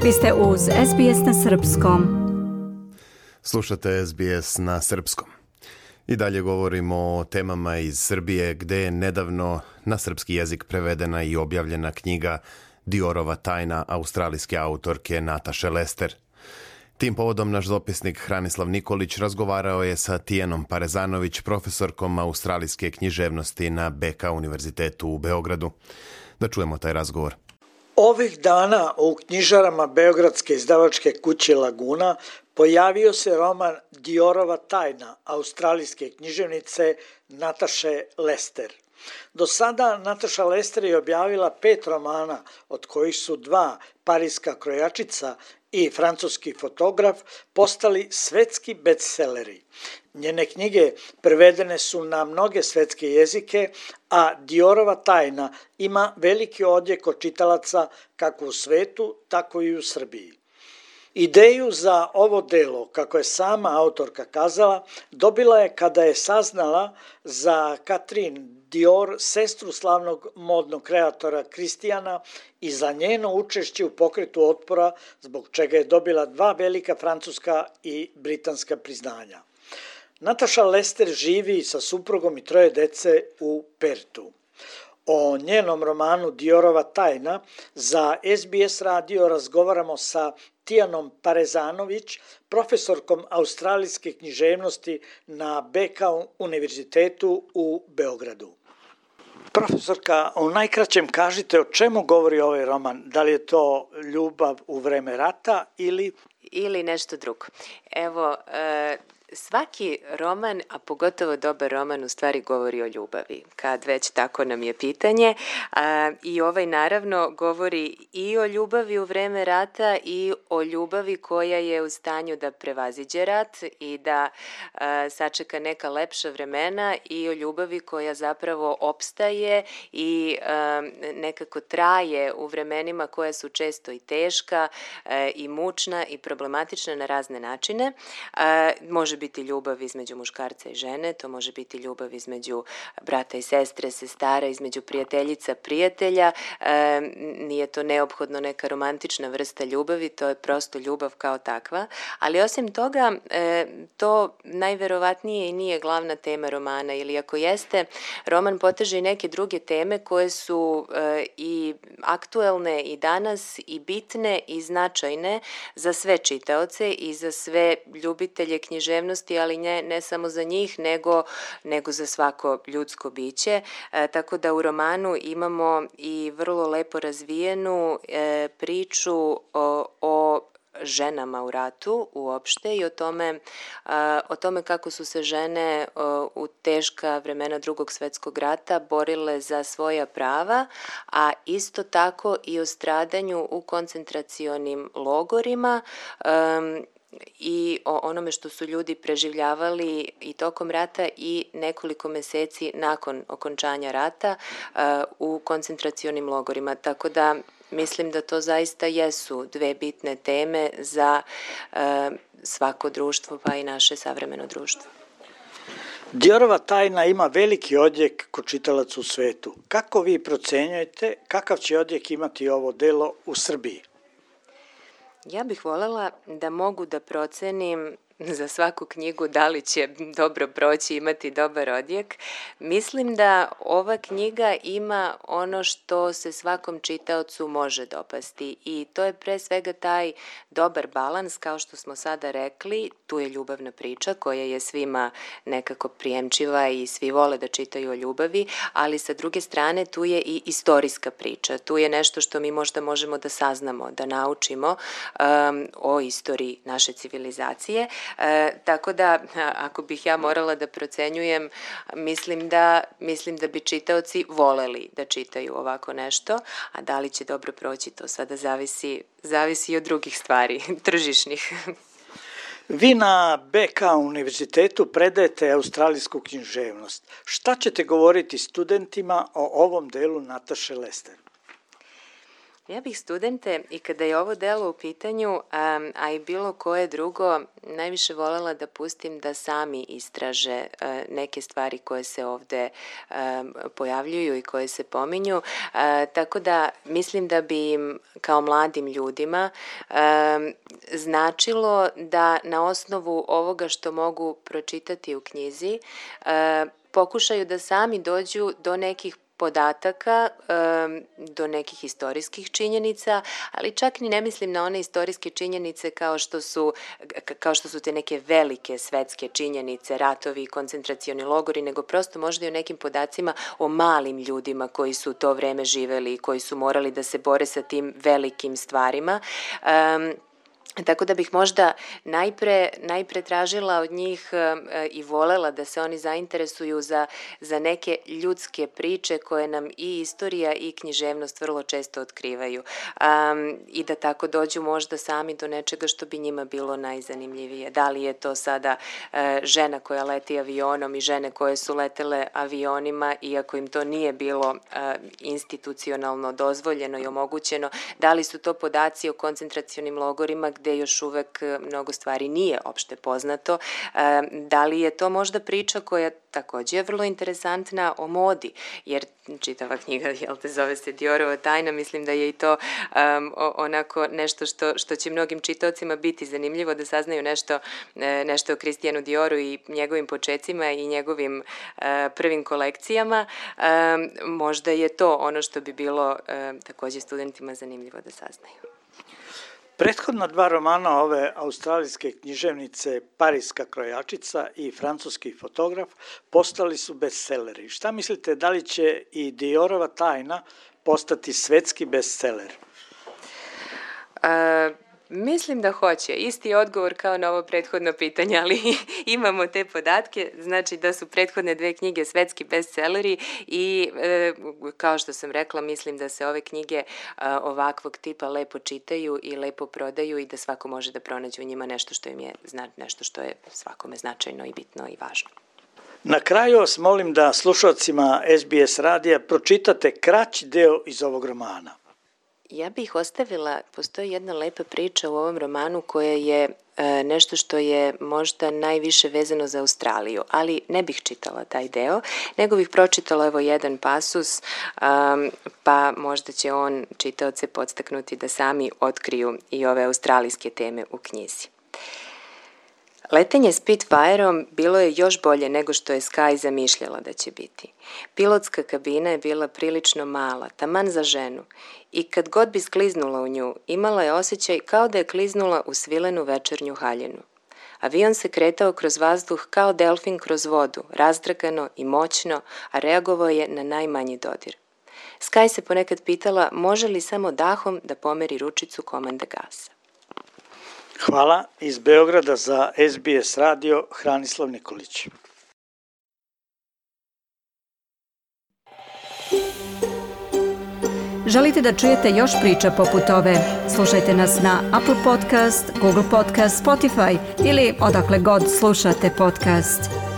Vi ste uz SBS na Srpskom. Slušate SBS na Srpskom. I dalje govorimo o temama iz Srbije, gde je nedavno na srpski jezik prevedena i objavljena knjiga Diorova tajna australijske autorke Nataše Lester. Tim povodom naš dopisnik Hranislav Nikolić razgovarao je sa Tijanom Parezanović, profesorkom australijske književnosti na BK univerzitetu u Beogradu. Da čujemo taj razgovor. Ovih dana u knjižarama beogradske izdavačke kuće Laguna pojavio se roman Diorova tajna australijske književnice Nataše Lester. Do sada Nataša Lester je objavila 5 romana, od kojih su 2 Pariska krojačica i francuski fotograf postali svetski bestselleri. Njene knjige prevedene su na mnoge svetske jezike, a Diorova tajna ima veliki odjek od čitalaca kako u svetu, tako i u Srbiji. Ideju za ovo delo, kako je sama autorka kazala, dobila je kada je saznala za Catherine Dior, sestru slavnog modnog kreatora Kristijana, i za njeno učešće u pokretu otpora, zbog čega je dobila 2 velika francuska i britanska priznanja. Nataša Lester živi sa suprugom i 3 dece u Pertu. O njenom romanu Diorova tajna za SBS radio razgovaramo sa Tijanom Parezanović, profesorkom australijske književnosti na BK univerzitetu u Beogradu. Profesorka, u najkraćem kažite o čemu govori ovaj roman. Da li je to ljubav u vreme rata ili nešto drugo? Evo, svaki roman, a pogotovo dobar roman, u stvari govori o ljubavi, kad već tako nam je pitanje. I ovaj naravno govori i o ljubavi u vreme rata i o ljubavi koja je u stanju da prevaziđe rat i da sačeka neka lepša vremena, i o ljubavi koja zapravo opstaje i nekako traje u vremenima koja su često i teška i mučna i problematična na razne načine. Može biti ljubav između muškarca i žene, to može biti ljubav između brata i sestre, sestara, između prijateljica, prijatelja. Nije to neophodno neka romantična vrsta ljubavi, to je prosto ljubav kao takva. Ali osim toga, to najverovatnije i nije glavna tema romana, ili ako jeste, roman poteže i neke druge teme koje su i aktuelne i danas i bitne i značajne za sve čitaoce i za sve ljubitelje književnosti, ali ne samo za njih, nego za svako ljudsko biće. Tako da u romanu imamo i vrlo lepo razvijenu priču o ženama u ratu uopšte i o tome kako su se žene u teška vremena Drugog svjetskog rata borile za svoja prava, a isto tako i o stradanju u koncentracionim logorima i o onome što su ljudi preživljavali i tokom rata i nekoliko meseci nakon okončanja rata u koncentracionim logorima. Tako da mislim da to zaista jesu 2 bitne teme za svako društvo, pa i naše savremeno društvo. Diorova tajna ima veliki odjek kod čitalaca u svetu. Kako vi procenjujete kakav će odjek imati ovo delo u Srbiji? Ja bih voljela da mogu da procenim za svaku knjigu da li će dobro proći, imati dobar odjek. Mislim da ova knjiga ima ono što se svakom čitaocu može dopasti, i to je pre svega taj dobar balans, kao što smo sada rekli. Tu je ljubavna priča koja je svima nekako prijemčiva i svi vole da čitaju o ljubavi, ali sa druge strane tu je i istorijska priča. Tu je nešto što mi možda možemo da saznamo, da naučimo o istoriji naše civilizacije. Tako da, ako bih ja morala da procenjujem, mislim da bi čitaoci voleli da čitaju ovako nešto, a da li će dobro proći, to sada zavisi i od drugih stvari, tržišnih. Vi na BK univerzitetu predajete australijsku književnost. Šta ćete govoriti studentima o ovom delu Nataše Lester? Ja bih studente, i kada je ovo delo u pitanju, a i bilo koje drugo, najviše voljela da pustim da sami istraže neke stvari koje se ovde pojavljuju i koje se pominju, tako da mislim da bi im kao mladim ljudima značilo da na osnovu ovoga što mogu pročitati u knjizi pokušaju da sami dođu do nekih podataka, do nekih istorijskih činjenica, ali čak ni ne mislim na one istorijske činjenice kao što su te neke velike svetske činjenice, ratovi, koncentracioni logori, nego prosto možda i o nekim podacima o malim ljudima koji su u to vreme živeli i koji su morali da se bore sa tim velikim stvarima. Tako da bih možda najpre tražila od njih i volela da se oni zainteresuju za neke ljudske priče koje nam i istorija i književnost vrlo često otkrivaju i da tako dođu možda sami do nečega što bi njima bilo najzanimljivije. Da li je to sada žena koja leti avionom i žene koje su letele avionima, iako im to nije bilo institucionalno dozvoljeno i omogućeno, da li su to podaci o koncentracionim logorima gde još uvek mnogo stvari nije opšte poznato. Da li je to možda priča koja takođe je vrlo interesantna o modi, jer čitava knjiga, zove se Diorova tajna, mislim da je i to onako nešto što će mnogim čitaocima biti zanimljivo da saznaju nešto o Kristijanu Dioru i njegovim počecima i njegovim prvim kolekcijama. Možda je to ono što bi bilo takođe studentima zanimljivo da saznaju. Prethodna dva romana ove australijske književnice Pariska krojačica i Francuski fotograf postali su bestseleri. Šta mislite, da li će i Diorova tajna postati svetski bestseler? Mislim da hoće. Isti odgovor kao na ovo prethodno pitanje, ali imamo te podatke, znači da su prethodne dve knjige svetski bestseleri i kao što sam rekla, mislim da se ove knjige ovakvog tipa lepo čitaju i lepo prodaju i da svako može da pronađe u njima nešto što je svakome značajno i bitno i važno. Na kraju vas molim da slušalcima SBS radija pročitate kraći deo iz ovog romana. Ja bih ostavila, postoji jedna lepa priča u ovom romanu koja je nešto što je možda najviše vezano za Australiju, ali ne bih čitala taj deo, nego bih pročitala evo jedan pasus, pa možda će on čitaoce podstaknuti da sami otkriju i ove australijske teme u knjizi. Letenje Spitfireom bilo je još bolje nego što je Sky zamišljala da će biti. Pilotska kabina je bila prilično mala, taman za ženu, i kad god bi skliznula u nju, imala je osjećaj kao da je kliznula u svilenu večernju haljinu. Avion se kretao kroz vazduh kao delfin kroz vodu, razdragano i moćno, a reagovao je na najmanji dodir. Sky se ponekad pitala može li samo dahom da pomeri ručicu komande gasa. Hvala. Iz Beograda za SBS radio Hranislav Nikolić. Želite da čujete još priča poput ove? Slušajte nas na Apple Podcast, Google Podcast, Spotify ili odakle god slušate podcast.